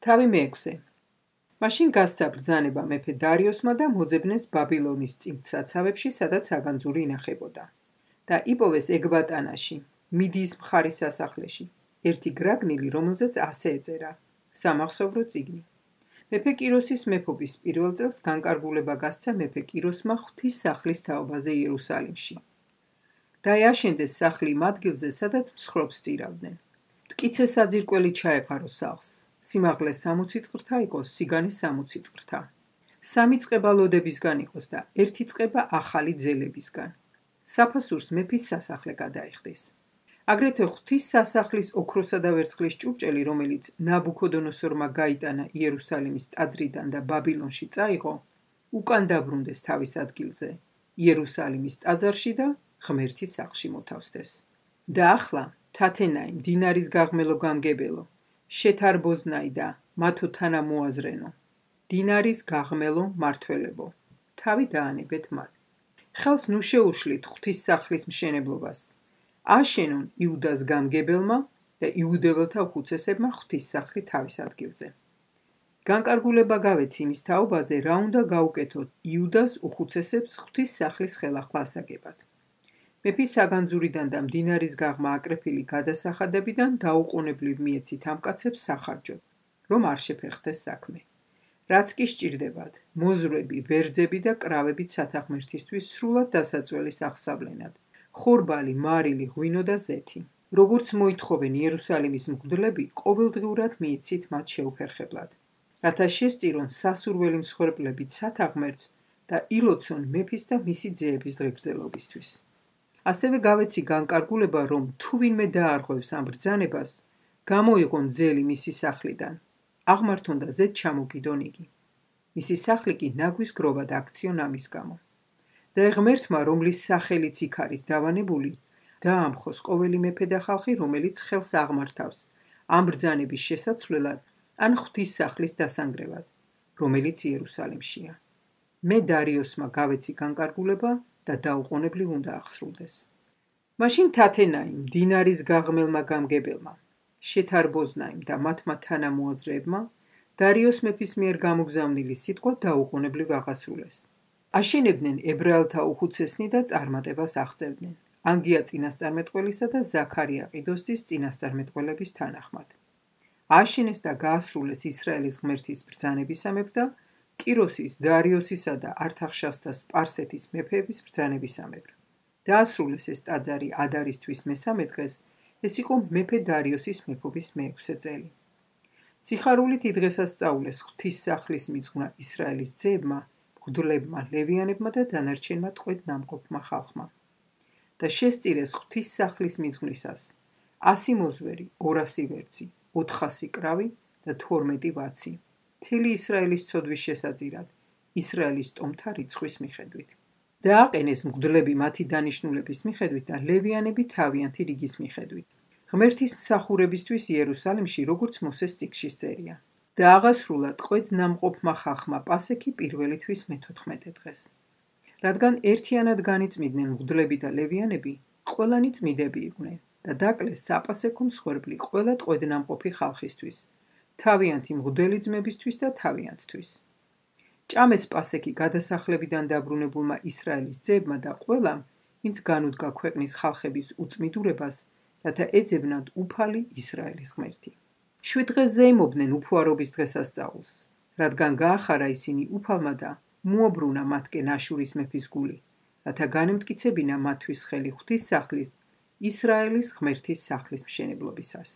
თავი მეექვსე. მაშინ გასცა ბრძანება მეფე დარიოსმა და მოძებნეს ბაბილონის წინგსაცავებში, სადაც საგანძური ინახებოდა. და იპოვეს ეგბატანაში, მიდიის მხარის სასახლეში, ერთი გრაგნილი, რომელზეც ასე ეწერა: სამახსოვრო წიგნი. მეფე კიროსის მეფობის პირველ წელს განკარგულება გასცა მეფე კიროსმა ღვთისმსახლის თაობაზე იერუსალიმში. და აშენდეს სახლი იმ ადგილზე, სადაც მსხრობს სწირავდნენ. მტკიცე საძირკველი ჩაეყარო სახლს. სიმაღლე 60 წყრთა იყოს, სიგანი 60 წყრთა. 3 წყება ლოდებისგან იყოს და 1 წყება ახალი ძელებისგან. საფასურს მეფის სასახლე გადაიხდის. აგრეთვე ღვთის სასახლის ოქროსა და ვერცხლის ჭურჭელი, რომელიც ნაბუქოდონოსორმა გაიტანა იერუსალიმის ტაძრიდან და ბაბილონში წაიღო, უკან დაბრუნდეს თავის ადგილზე, იერუსალიმის ტაძარში და ღმერთის სახლში მოთავსდეს. და ახლა თათენაი, მდინარის გაღმელო გამგებელო, შეთარბოზნაი და მათო თანამოაზრენო, დინარის გაღმელო მართველებო, თავი დაანებეთ მათ. ხელს ნუ შეუშლით ღვთის სახლის მშენებლობას. აშენონ იუდას გამგებელმა და იუდეველთა უხუცესებმა ღვთის სახლი თავის ადგილზე. განკარგულება გავეც იმის თაობაზე, რა უნდა გაუკეთოთ იუდას უხუცესებს ღვთის სახლის ხელახლა ასაგებად. მეფის საგანძურიდან და მდინარის გაღმა აკრეფილი გადასახადებიდან დაუყოვნებლივ მიეცით ამ კაცებს სახარჯოდ, რომ არ შეფერხდეს საქმე. რაც კი სჭირდებათ, მოზრვები, ვერძები და კრავებით სათანხმერთისთვის სრულად დასაწველის აღსავლენად, ხორბალი, მარილი, ღვინო და ზეთი. როგორც მოითხოვენ იერუსალიმის მღვდლები, ყოველდღიურად მიეცით მათ შეუფერხებლად, რათა შესწირონ სასურველი მსხვერპლებით სათანხმერთს და ილოცონ მეფის და მისი ძეების დღეგრძელობისთვის. ასევე გავეცი განკარგულება, რომ თუ ვინმე დაარღვევს ამ ბრძანებას, გამოიღონ ძელი მისი სახლიდან, აღმართონ და ზედ ჩამოგიდონ იგი. მისი სახლი კი ნაგვის გროვად აქციონ ამის გამო. და ღმერთმა, რომლის სახელიც იქ არის დავანებული, დაამხოს ყოველი მეფე და ხალხი, რომელიც ხელს აღმართავს ამ ბრძანების შესაცვლელად ან ღვთის სახლის დასანგრევად, რომელიც იერუსალიმშია. მე დარიოსმა გავეცი განკარგულება და დაუყოვნებლივ უნდა აღსრულდეს. მაშინ თათენაიმ, დინარის გაღმელმა გამგებელმა, შეთარბოზნაიმ და მათმა თანამოაზრეებმა დარიოს მეფის მიერ გამოგზავნილი სიტყვა დაუყოვნებლივ აღასრულეს. აშენებდნენ ებრაელთა უხუცესნი და წარმატებას აღწევდნენ, ანგია წინასწარმეტყველისა და ზაქარია ყიდოსის წინასწარმეტყველების თანახმად. აშენეს და გაასრულეს ისრაელის ღმერთის ბრძანებისამებრ და კიროსის, დარიოსისა და ართახშასთა სპარსეთის მეფეების ბრძანებისამებრ. დაასრულეს ეს ტაძარი ადარის თვის მესამე დღეს, ეს იყო მეფე დარიოსის მეფობის მეექვსე წელი. სიხარულით იდღესასწაულეს ღვთის სახლის მიძღვნა ისრაელის ძეებმა, მღვდლებმა, ლევიანებმა და დანარჩენმა ტყვედ ნამყოფმა ხალხმა. და შესწირეს ღვთის სახლის მიძღვნისას 100 მოზვერი, 200 ვერძი, 400 კრავი და 12 ვაცი, მთელი ისრაელის ცოდვის შესაძირად, ისრაელის ტომთა რიცხვის მიხედვით. დააყენეს მღვდლები მათი დანიშნულების მიხედვით და ლევიანები თავიანთი რიგის მიხედვით. ღმერთის მსახურებისთვის იერუსალიმში, როგორც მოსეს წიგნში წერია. და აღასრულა ტყვედ ნამყოფმა ხალხმა პასექი პირველი თვის მე-14 დღეს. რადგან ერთიანად განიწმინდნენ მღვდლები და ლევიანები, ყველანი წმიდები იყვნენ და დაკლეს საპასექო მსხვერპლი ყველა ტყვედ ნამყოფი ხალხისთვის, თავიანთი მღვდელი ძმებისთვის და თავიანთთვის. ჭამეს პასექი გადასახლებიდან დაბრუნებულმა ისრაელის ძეებმა და ყველამ, ვინც განუდგა ქვეყნის ხალხების უწმიდურებას, რათა ეძებნათ უფალი ისრაელის ღმერთი. 7 დღეს ზეიმობდნენ უფუარობის დღესასწაულს, რადგან გაახარა ისინი უფალმა და მოაბრუნა მათკენ აშურის მეფის გული, რათა განემტკიცებინა მათთვის ხელი ღვთის სახლის, ისრაელის ღმერთის სახლის მშენებლობისას.